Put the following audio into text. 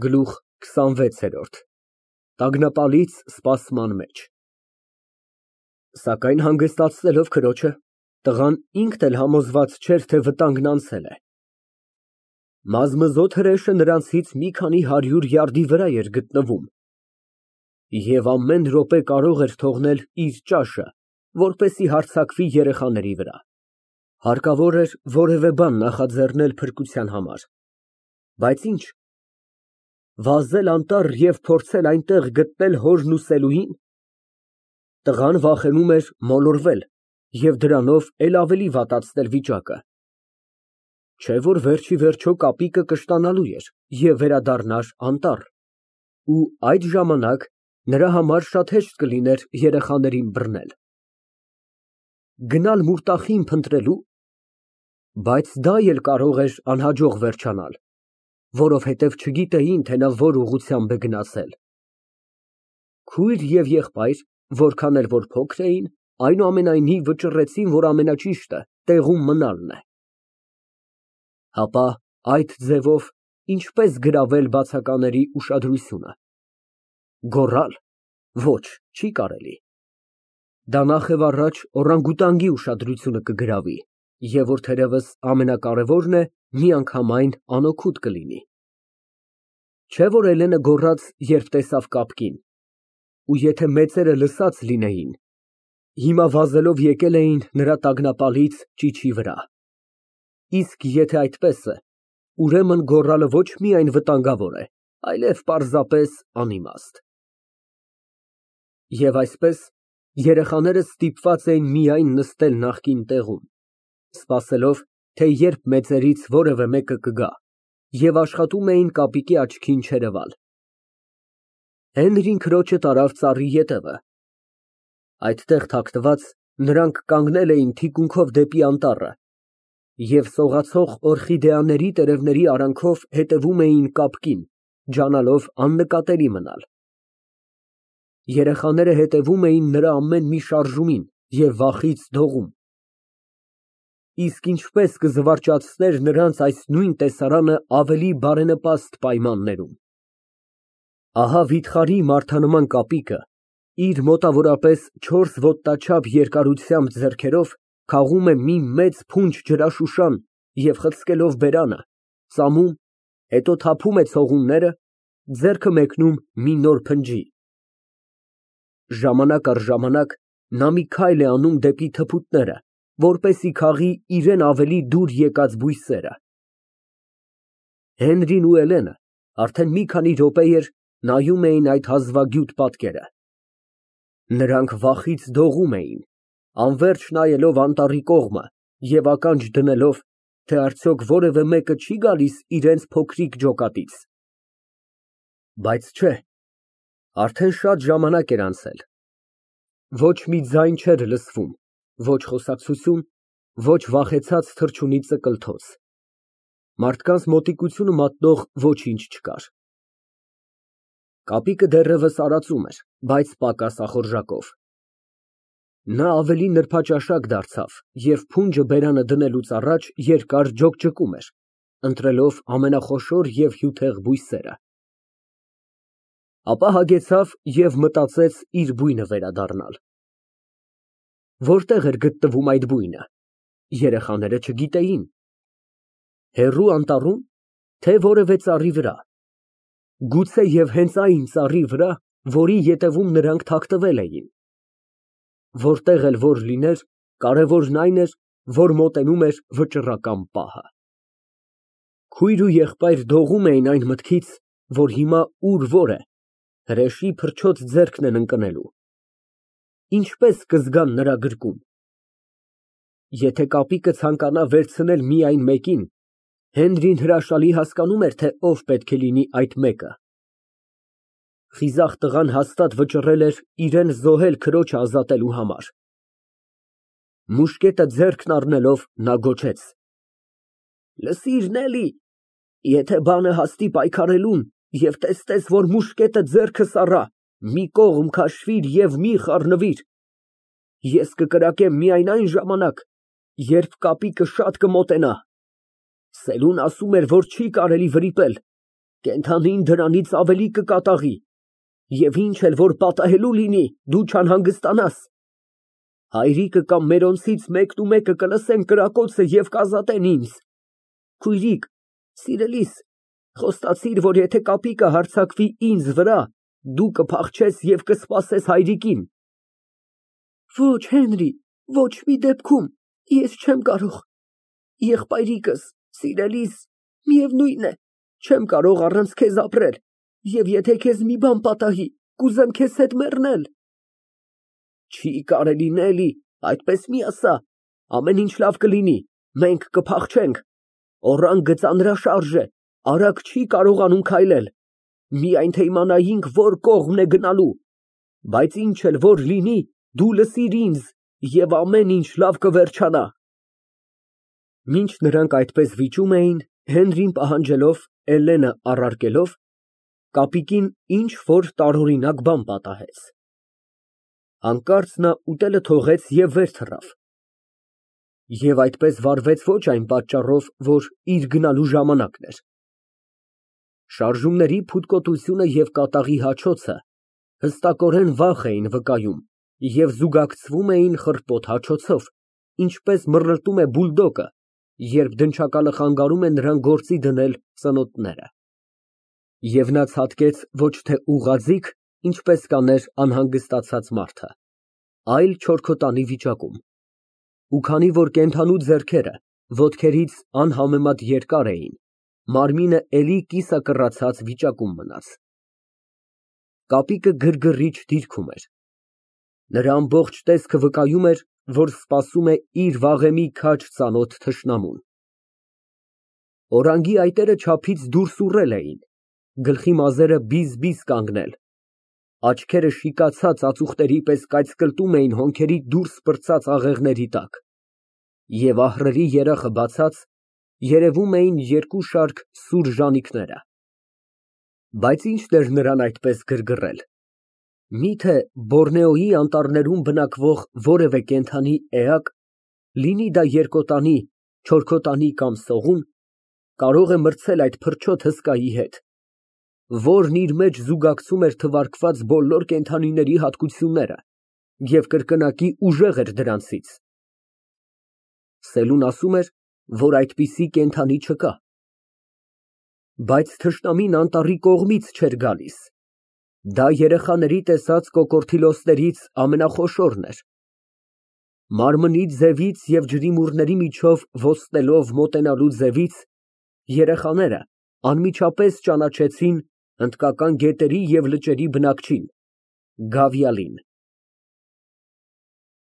Գլուխ քսանվեցերորդ Տագնապալից սպասման մեջ Սակայն հանգստացնելով քրոջը, տղան ինքն էլ համոզված չէր, թե վտանգն անցել է։ Մազմզոտ հրեշը նրանցից մի քանի հարյուր յարդի վրա էր գտնվում և ամեն րոպե կարող էր թողնել իր ճաշը, որպեսզի հարձակվի երեխաների վրա։ Հարկավոր էր որևէ բան նախաձեռնել փրկության համար, բայց ի՞նչ։ Վազել անտառ և փորձել այնտեղ գտնել հորն ու Սելուհի՞ն։ Տղան վախենում էր մոլորվել և դրանով էլ ավելի վատացնել վիճակը։ Չէ՞ որ վերջ ի վերջո կապիկը կշտանալու էր և վերադառնար անտառ, ու այդ ժամանակ նրա համար շատ հեշտ կլիներ երեխաներին բռնել։ Գնալ Մուրտախին փնտրելու։ Բայց դա էլ կարող էր անհաջող վերջանալ, որովհետև չգիտեին, թե նա որ ուղղությամբ է գնացել։ Քույր և եղբայր, որքան էլ որ փոքր էին, այնուամենայնիվ վճռեցին, որ ամենաճիշտը տեղում մնալն է։ Հապա այդ ձևով ինչպե՞ս գրավել բացակաների ուշադրությունը։ Գոռալ։ Ոչ, չի կարելի։ Դա նախևառաջ օրանգուտանգի ուշադրությունը կգրավի, և որ թերևս ամենակարևորն է, միանգամայն անօգուտ կլինի։ Չէ՞ որ Էլենը գոռաց, երբ տեսավ կապկին, ու եթե մեծերը լսած լինեին, հիմա վազելով եկել էին նրա տագնապալից ճիչի վրա։ Իսկ եթե այդպես է, ուրեմն գոռալը ոչ միայն վտանգավոր է, այլև պարզապես անիմաստ։ Եվ այսպես, երեխաները ստիպված էին միայն նստել նախկին տեղում, սպասելով, թե երբ մեծերից որևէ մեկը կգա, և աշխատում էին կապիկի աչքին չերևալ։ Հենրին քրոջը տարավ ծառի ետևը։ Այդտեղ թաքնված, նրանք կանգնել էին թիկունքով դեպի անտառը և սողացող օրխիդեաների տերևների արանքով հետևում էին կապկին, ջանալով աննկատելի մնալ։ Երեխաները հետևում էին նրա ամեն մի շարժումին և վախից դողում։ Իսկ ինչպես կզվարճացներ նրանց այս նույն տեսարանը ավելի բարենպաստ պայմաններում։ Ահա վիթխարի մարդանման կապիկը իր մոտավորապես 4 ոտնաչափ երկարությամբ ձեռքերով քաղում է մի մեծ փունջ ջրաշուշան և խցկելով բերանը, ծամում, հետո թափում է ցողունները, ձեռքը մեկնում մի նոր փնջի։ Ժամանակ առ ժամանակ նա մի քայլ է անում դեպի թփուտները, որպեսզի քաղի իրան ավելի դուր եկած բույսերը։ Հենրին ու Էլենը արդեն մի քանի րոպեներ նայում էին այդ հազվագյուտ պատկերը։ Նրանք վախից դողում էին, անվերջ նայելով անտառի կողմը և ականջ դնելով, թե արդյոք որևէ մեկը չի գալիս իրենց փոքրիկ ջոկատից։ Բայց չէ, արդեն շատ ժամանակ էր անցել։ Ոչ մի ձայն չէր լսվում, ոչ խոսակցություն, ոչ վախեցած թռչունի ծկլթոց։ Մարդկանց մոտիկությունը մատնող ոչինչ չկար։ Կապիկը դեռևս արածում էր, բայց պակաս ախորժակով։ Նա ավելի նրբաճաշակ դարձավ և փունջը բերանը դնելուց առաջ երկար ջոկջկում էր, ընտրելով ամենախոշոր և հյութեղ բույսերը։ Ապա հագեցավ և մտածեց իր բույնը վերադառնալ։ Որտե՞ղ էր գտնվում այդ բույնը, երեխաները չգիտեին։ Հեռու անտառու՞մ, թե որևէ ծառի վրա։ Գուցեև հենց այն ծառի վրա, որի ետևում նրանք թաքնվել էին։ Որտեղ էլ որ լիներ, կարևորն այն էր, որ մոտենում էր վճռական պահը։ Քույր ու եղբայր դողում էին այն մտքից, որ հիմա ուր որ է, հրեշի փրչոտ ձեռքն են ընկնելու։ Ինչպե՞ս կզգան նրա գրկում։ Եթե կապիկը ցանկանա վերցնել միայն մեկին, Հենրին հրաշալի հասկանում էր, թե ով պետք է լինի այդ մեկը։ Խիզախ տղան հաստատ վճռել էր իրան զոհել քրոջը ազատելու համար։ Մուշկետը ձեռքն առնելով նա գոչեց. «Լսիր, Նելի, եթե բանը հասնի պայքարելուն և տեսնես, որ մուշկետը ձեռքս առա, մի կողմ քաշվիր և մի խառնվիր։ Ես կկրակեմ միայն այն ժամանակ, երբ կապիկը շատ կմոտենա։ Սելուն ասում էր, որ չի կարելի վրիպել։ Կենդանին դրանից ավելի կկատաղի, և ինչ էլ որ պատահելու լինի, դու չանհանգստանաս։ Հայրիկը կամ մերոնցից մեկնումեկը կլսեն կրակոցը և կազատեն ինձ։ Քույրիկ, սիրելիս, խոստացիր, որ եթե կապիկը հարձակվի ինձ վրա, դու կփախչես և կսպասես հայրիկին։ Ոչ, Հենրի, ոչ մի դեպքում, ես չեմ կարող։ Եղբայրիկս, սիրելիս, միևնույն է, չեմ կարող առանց քեզ ապրել, և եթե քեզ մի բան պատահի, կուզեմ քեզ հետ մեռնել։ Չի կարելի, Նելի, այդպես մի ասա, ամեն ինչ լավ կլինի, մենք կփախչենք, օրանգը ծանրաշարժ է, արագ չի կարողանում քայլել, միայն թե իմանայինք որ կողմն է գնալու, բայց ինչ էլ որ լինի, դու լսիր ինձ, և ամեն ինչ լավ կվերջանա։ Մինչ նրանք այդպես վիճում էին, Հենրին պահանջելով, Էլենը առարկելով, կապիկին ինչ որ տարօրինակ բան պատահեց։ Հանկարծ նա ուտելը թողեց և վեր թռավ։ Եվ այդպես վարվեց ոչ այն պատճառով, որ իր գնալու ժամանակն էր։ Շարժումների փութկոտությունը և կատաղի հաչոցը հստակորեն վախ էին վկայում և զուգակցվում էին խռպոտ հաչոցով, ինչպես մռռտում է բուլդոգը, երբ դնչակալը խանգարում է նրան գործի դնել ծնոտները։ Եվ նա ցատկեց ոչ թե ուղղաձիգ, ինչպես կաներ անհանգստացած մարդը, այլ չորքոտանի վիճակում։ Ու քանի որ կենդանու ձեռքերը ոտքերից անհամեմատ երկար էին, մարմինը էլի կիսակռացած վիճակում մնաց։ Կապիկը գրգռիչ դիրքում էր։ Նրա ամբողջ տեսքը վկայում էր, որ սպասում է իր վաղեմի քաջ ծանոթ թշնամուն։ Օրանգի այտերը չափից դուրս ուռել էին, գլխի մազերը բիզ կանգնել, աչքերը շիկացած ածուխների պես կայծկլտում էին հոնքերի դուրս պրծած աղեղների տակ, և ահռելի երախը բացած, երևում էին երկու շարք սուր ժանիքները։ Բայց ի՞նչն էր նրան այդպես գրգռել։ Միթե Բորնեոյի անտառներում բնակվող որևէ կենդանի էակ, լինի դա երկոտանի, չորքոտանի կամ սողուն, կարող է մրցել այդ փրչոտ հսկայի հետ, որն իր մեջ զուգակցում էր թվարկված բոլոր կենդանիների հատկությունները և կրկնակի ուժեղ էր դրանցից։ Սելուն ասում էր, որ այդպիսի կենդանի չկա։ Բայց թշնամին անտառի կողմից չէր գալիս։ Դա երեխաների տեսած կոկորդիլոսներից ամենախոշորն էր։ Մարմնի ձևից և ջրիմուռների միջով ոստնելով մոտենալու ձևից, երեխաները անմիջապես ճանաչեցին հնդկական գետերի և լճերի բնակչին, Գավիալին։